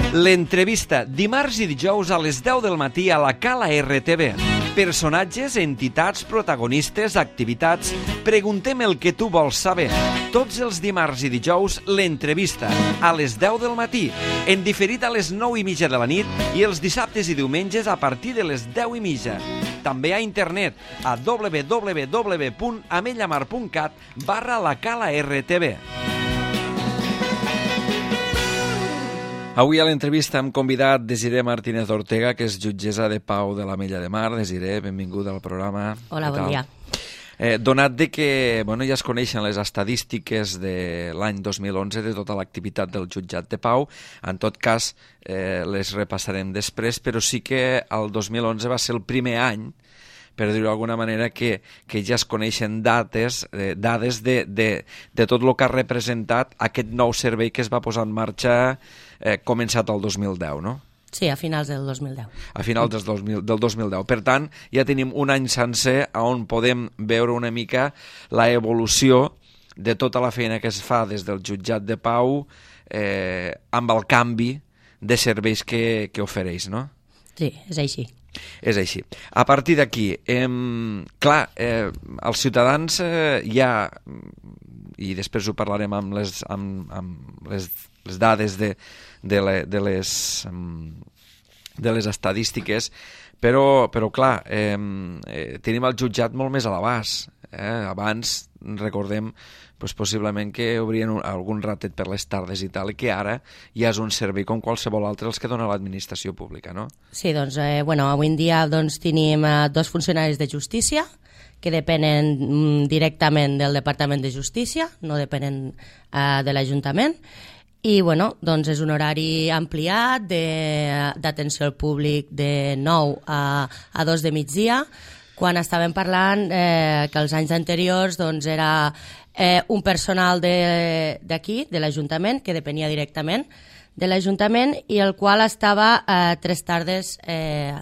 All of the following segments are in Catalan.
L'entrevista, dimarts i dijous a les 10 del matí a la Cala RTV. Personatges, entitats, protagonistes, activitats. Preguntem el que tu vols saber. Tots els dimarts i dijous, l'entrevista, a les 10 del matí. En diferit a les 9:30 de la nit i els dissabtes i diumenges a partir de les 10:30. També a internet a www.amellamar.cat/la Cala RTV. Avui a l'entrevista hem convidat Desiré Martínez Ortega, que és jutgessa de pau de l'Ametlla de Mar. Desiré, benvinguda al programa. Hola, bon dia. Donat de que ja es coneixen les estadístiques de l'any 2011 de tota l'activitat del jutjat de pau, en tot cas les repassarem després, però sí que el 2011 va ser el primer any, per dir-ho d'alguna manera, que ja es coneixen dades de tot el que ha representat aquest nou servei que es va posar en marxa començat el 2010, no? Sí, a finals del 2010. A finals del 2010. Per tant, ja tenim un any sencer on podem veure una mica la evolució de tota la feina que es fa des del jutjat de pau amb el canvi de serveis que ofereix, no? Sí, és així. És així. A partir d'aquí, clar, els ciutadans ja, i després ho parlarem amb les dades de les estadístiques, però clar, tenim el jutjat molt més a l'abast. Abans, recordem, possiblement que obrien algun ratet per les tardes i tal, i que ara ja és un servei com qualsevol altre els que dona l'administració pública, no? Sí, doncs, avui en dia tenim dos funcionaris de justícia que depenen directament del Departament de Justícia, no depenen de l'Ajuntament, i és un horari ampliat d'atenció al públic de 9 a 2 de migdia, quan estàvem parlant que els anys anteriors era un personal d'aquí, de l'Ajuntament, que depenia directament de l'Ajuntament i el qual estava 3 tardes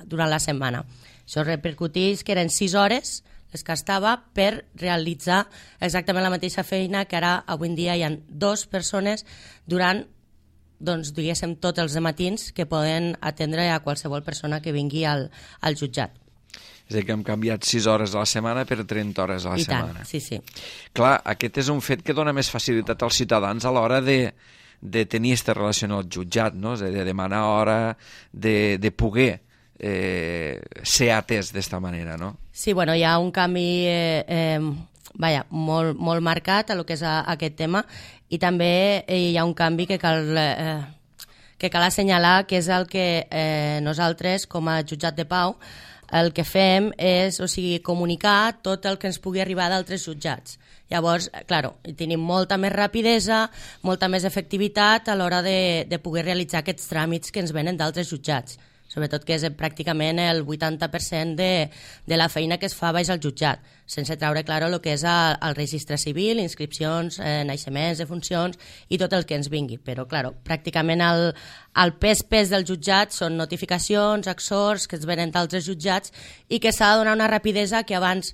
durant la setmana. Això repercuteix que eren 6 hores les que estava per realitzar exactament la mateixa feina que ara avui en dia hi ha 2 persones durant, diguéssim, tots els matins que poden atendre a qualsevol persona que vingui al jutjat. És a dir, que hem canviat 6 hores a la setmana per 30 hores a la setmana. I tant, sí, sí. Clar, aquest és un fet que dona més facilitat als ciutadans a l'hora de tenir aquesta relació amb el jutjat, no? És a dir, de demanar hora, de poder ser atès d'esta manera, no? Sí, hi ha un canvi molt marcat a lo que és aquest tema, i també hi ha un canvi que cal assenyalar, que és el que nosaltres, com a jutjat de pau, el que fem és, comunicar tot el que ens pugui arribar d'altres jutjats. Llavors, tenim molta més rapidesa, molta més efectivitat a l'hora de poder realitzar aquests tràmits que ens venen d'altres jutjats. Sobretot que és pràcticament el 80% de la feina que es fa baix al jutjat, sense treure, el que és el registre civil, inscripcions, naixements, defuncions i tot el que ens vingui. Però, pràcticament el pes del jutjat són notificacions, exhorts que ens venen d'altres jutjats i que s'ha de donar una rapidesa que abans,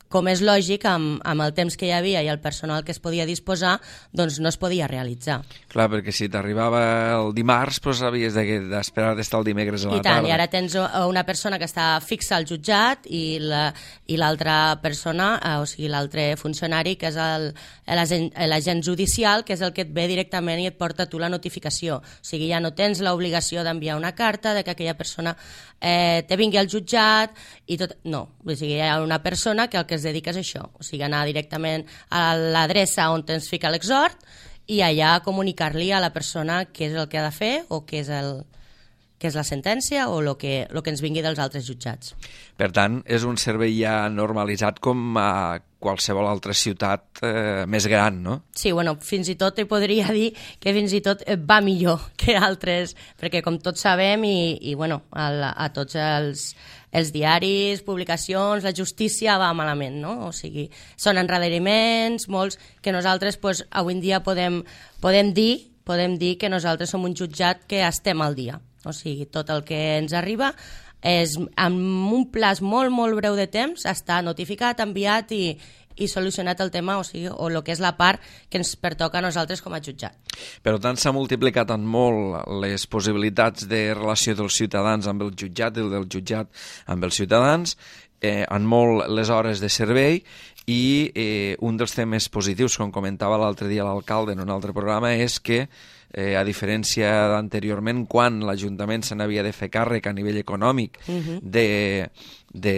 com és lògic, amb el temps que hi havia i el personal que es podia disposar, no es podia realitzar. Clar, perquè si t'arribava el dimarts, havies d'esperar d'estar el dimecres a la tarda. I tant, i ara tens una persona que està fixa al jutjat i l'altra persona, l'altre funcionari, que és l'agent judicial, que és el que et ve directament i et porta tu la notificació. Ja no tens l'obligació d'enviar una carta de que aquella persona te vingui al jutjat i tot. No, hi ha una persona que el que es dedica és això, anar directament a l'adreça on tens fica l'exhort i allà comunicar-li a la persona què és el que ha de fer o què és la sentència o el que ens vingui dels altres jutjats. Per tant, és un servei ja normalitzat com a qualsevol altra ciutat més gran, no? Sí, fins i tot podria dir que fins i tot va millor que altres, perquè com tots sabem a tots els diaris, publicacions, la justícia va malament, no? Són endarreriments, molts, que nosaltres avui en dia podem dir que nosaltres som un jutjat que estem al dia. Tot el que ens arriba és en un plaç molt, molt breu de temps, està notificat, enviat i i solucionat el tema, o el que és la part que ens pertoca a nosaltres com a jutjat. Per tant, s'ha multiplicat en molt les possibilitats de relació dels ciutadans amb el jutjat i del jutjat amb els ciutadans, en molt les hores de servei, i un dels temes positius, com comentava l'altre dia l'alcalde en un altre programa, és que a diferència d'anteriorment, quan l'Ajuntament se n'havia de fer càrrec a nivell econòmic de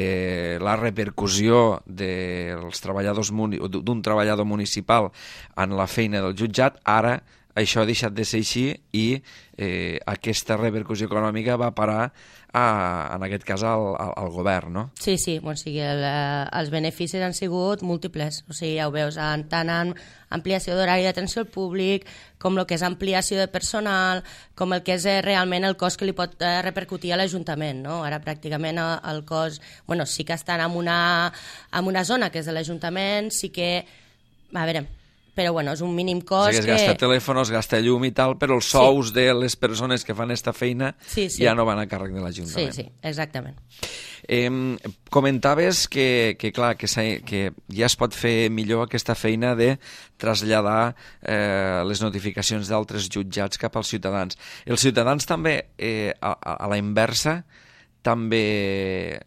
la repercussió dels treballadors d'un treballador municipal en la feina del jutjat, ara això ha deixat de ser així i aquesta repercussió econòmica va parar en aquest cas al govern, no? Sí, o sigui, els beneficis han sigut múltiples, o sigui, ja ho veus, tant en ampliació d'horari d'atenció al públic, com el que és ampliació de personal, com el que és realment el cost que li pot repercutir a l'Ajuntament, no? Ara pràcticament el cost, bueno, sí que estan en una zona que és de l'Ajuntament, sí que, a veure, però bueno, és un mínim cost o sigui, es gasta telèfon, es gasta llum i tal, però els sous de les persones que fan aquesta feina ja no van a càrrec de l'Ajuntament. Sí, exactament. Comentaves que clar, que ja es pot fer millor aquesta feina de traslladar les notificacions d'altres jutjats cap als ciutadans. Els ciutadans també, a la inversa, també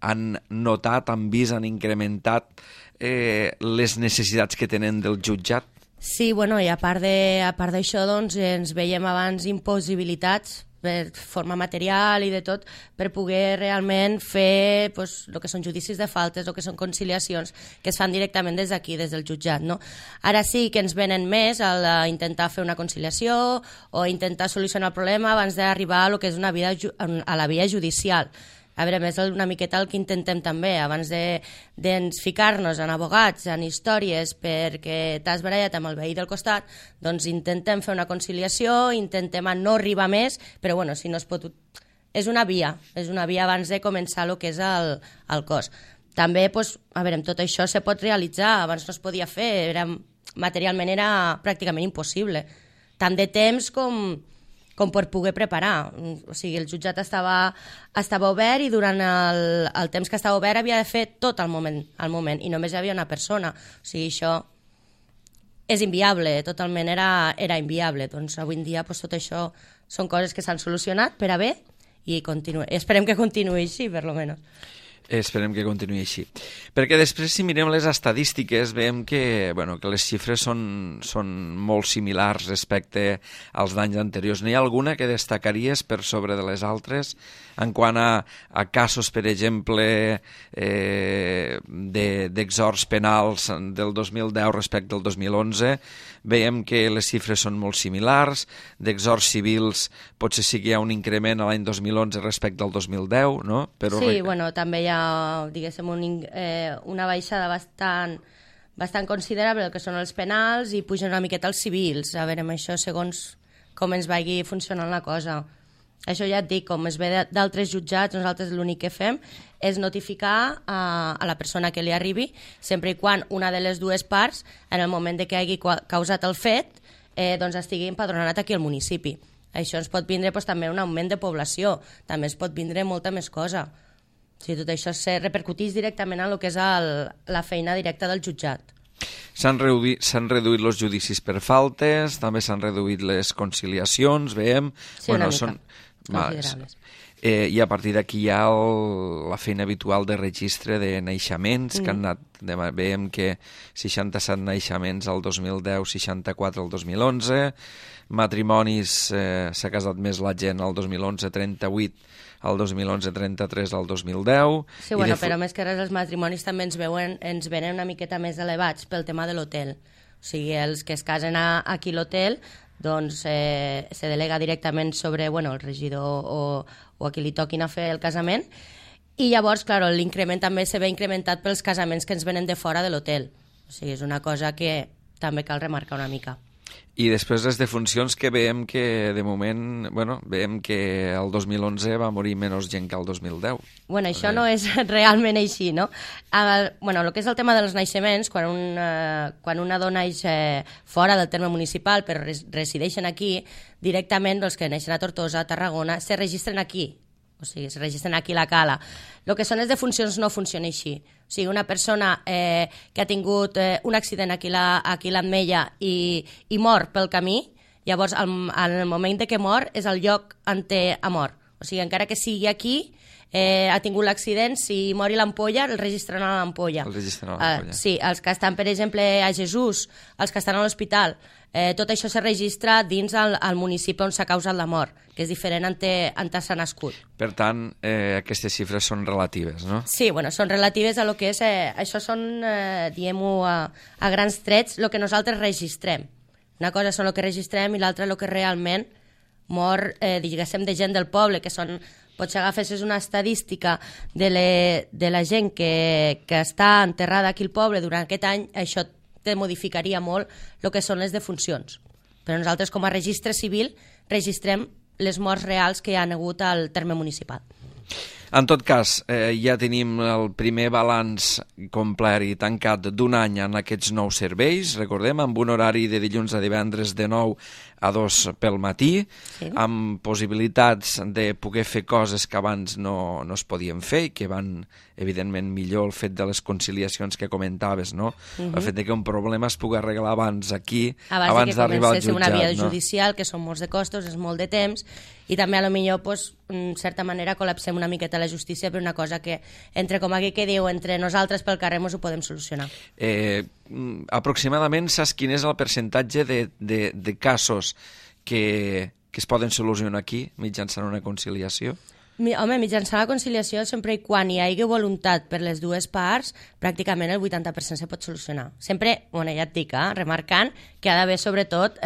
han notat, han vist, han incrementat les necessitats que tenen del jutjat? Sí, bueno, i a part d'això, doncs, ens veiem abans impossibilitats de forma material i de tot per poder realment fer el que són judicis de faltes, el que són conciliacions, que es fan directament des d'aquí, des del jutjat, no? Ara sí que ens venen més a intentar fer una conciliació o intentar solucionar el problema abans d'arribar a lo que és a la via judicial. A veure, més una miqueta el que intentem també, abans de ficar-nos en abogats, en històries, perquè t'has barallat amb el veí del costat, doncs intentem fer una conciliació, intentem no arribar més, però bueno, si no es pot... És una via abans de començar el que és el cos. També, a veure, tot això se pot realitzar, abans no es podia fer, materialment era pràcticament impossible. Tant de temps com per poder preparar. O sigui, el jutjat estava obert i durant el temps que estava obert havia de fer tot al moment i només hi havia una persona. O sigui, això és inviable, totalment era inviable. Doncs avui en dia tot això són coses que s'han solucionat per a bé i esperem que continuï així, per almenys. Esperem que continuï així. Perquè després, si mirem les estadístiques, veiem que les xifres són molt similars respecte als d'anys anteriors. N'hi ha alguna que destacaries per sobre de les altres en quant a casos, per exemple, d'exhorts penals del 2010 respecte al 2011? Veiem que les xifres són molt similars. D'exhorts civils potser sí que hi ha un increment a l'any 2011 respecte al 2010, no? Però sí, també hi ha, diguéssim, una baixada bastant considerable del que són els penals i pugen una miqueta els civils. A veure, amb això, segons com ens vagi funcionant la cosa. Això ja et dic, com es ve d'altres jutjats, nosaltres l'únic que fem és notificar a la persona que li arribi, sempre i quan una de les dues parts, en el moment de que hagi causat el fet, doncs estigui empadronat aquí al municipi. Això ens pot vindre també un augment de població, també es pot vindre molta més cosa. O sigui, tot això se repercuteix directament en el que és la feina directa del jutjat. S'han reduït els judicis per faltes, també s'han reduït les conciliacions, veiem... Sí, una mica, considerables. I a partir d'aquí hi ha la feina habitual de registre de naixements, que han anat, veiem que 67 naixements al 2010, 64 al 2011, matrimonis, s'ha casat més la gent al 2011, 38, al 2011, 33 al 2010... Sí, bueno, però més que res els matrimonis també ens venen una miqueta més elevats pel tema de l'hotel. O sigui, els que es casen aquí a l'hotel, doncs se delega directament sobre el regidor o a qui li toquin a fer el casament, i llavors, clar, l'increment també se ve incrementat pels casaments que ens venen de fora de l'hotel. O sigui, és una cosa que també cal remarcar una mica. I després les defuncions, que veiem que de moment, veiem que el 2011 va morir menys gent que el 2010. Bueno, això no és realment així, no? El que és el tema dels naixements, quan una dona neix fora del terme municipal però resideixen aquí, directament els que neixen a Tortosa, a Tarragona, se registren aquí. o sigui, es registren aquí a la cala. El que són les defuncions no funciona així. O sigui, una persona que ha tingut un accident aquí a l'Ametlla i mor pel camí, llavors, en el moment que mor, és el lloc on ha mort. O sigui, encara que sigui aquí, ha tingut l'accident, si mori l'ampolla, el registren a l'ampolla. El registren a l'ampolla. Sí, els que estan, per exemple, a Jesús, els que estan a l'hospital, tot això se registra dins el municipi on s'ha causat la mort, que és diferent on s'ha nascut. Per tant, aquestes xifres són relatives, no? Sí, bueno, són relatives a lo que és... això són, diguem-ho, a grans trets, el que nosaltres registrem. Una cosa són el que registrem i l'altra el que realment mor, diguéssim, de gent del poble, que són... Potser agafessis una estadística de la gent que està enterrada aquí al poble durant aquest any, això te modificaria molt el que són les defuncions. Però nosaltres, com a registre civil, registrem les morts reals que hi ha hagut al terme municipal. En tot cas, ja tenim el primer balanç complet i tancat d'un any en aquests nous serveis, recordem, amb un horari de dilluns a divendres de 9 a 2 pel matí, sí, amb possibilitats de poder fer coses que abans no es podien fer i que van, evidentment, millor el fet de les conciliacions que comentaves, no? El fet de que un problema es pugui arreglar abans aquí, abans d'arribar al jutjat. Una via judicial, que són molts de costos, és molt de temps, i també potser, pues, en certa manera, col·lapsem una miqueta la justícia per una cosa que, entre, com aquí que diu, entre nosaltres pel carrer mos ho podem solucionar. Aproximadament saps quin és el percentatge de casos que es poden solucionar aquí mitjançant una conciliació? Home, mitjançant la conciliació, sempre i quan hi hagi voluntat per les dues parts, pràcticament el 80% se pot solucionar. Sempre, bueno, ja et dic, remarcant que ha d'haver, sobretot,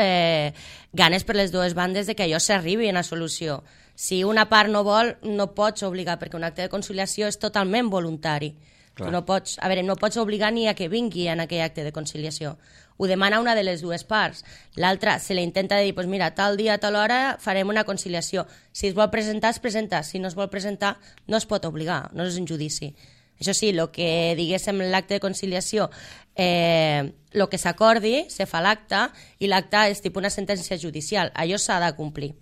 ganes per les dues bandes de que allò s'arribi a una solució. Si una part no vol, no pots obligar, perquè un acte de conciliació és totalment voluntari. Tu no pots obligar ni a que vingui en aquell acte de conciliació. Ho demana una de les dues parts. L'altra se li intenta dir, pues mira, tal dia, tal hora farem una conciliació. Si es vol presentar, es presenta. Si no es vol presentar, no es pot obligar, no és un judici. Això sí, el que diguéssim l'acte de conciliació, el que s'acordi, se fa l'acte, i l'acte és tipus una sentència judicial. Allò s'ha de complir.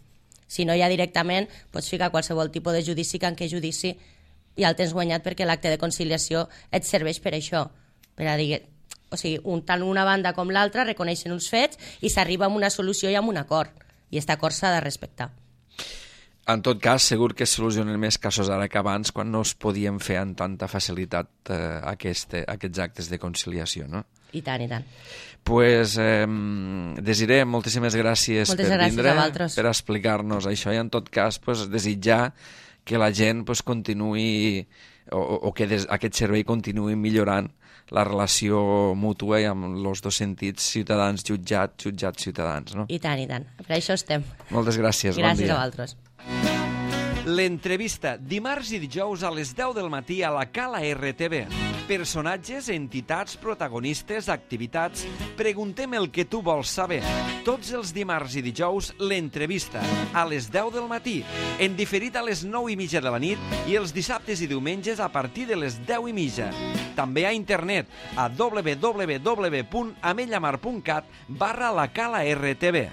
Si no, ja directament pots ficar qualsevol tipus de judici, que en què judici ja el tens guanyat, perquè l'acte de conciliació et serveix per això, per a dir... O sigui, tant una banda com l'altra reconeixen uns fets i s'arriba a una solució i a un acord. I aquest acord s'ha de respectar. En tot cas, segur que es solucionen més casos ara que abans, quan no es podien fer amb tanta facilitat aquests actes de conciliació, no? I tant, i tant. Pues, Desiré, moltíssimes gràcies per vindre, per explicar-nos això, i en tot cas desitjar que la gent continuï, o que aquest servei continuï millorant la relació mútua i amb els dos sentits, ciutadans-jutjat, jutjat-ciutadans, no? I tant, i tant. Per això estem. Moltes gràcies, bon dia. Gràcies a vosaltres. L'entrevista, dimarts i dijous a les 10 del matí a la Cala RTV. Personatges, entitats, protagonistes, activitats... Preguntem el que tu vols saber. Tots els dimarts i dijous, l'entrevista, a les 10 del matí, en diferit a les 9:30 de la nit i els dissabtes i diumenges a partir de les 10:30. També a internet, a www.amellamar.cat/la Cala RTV.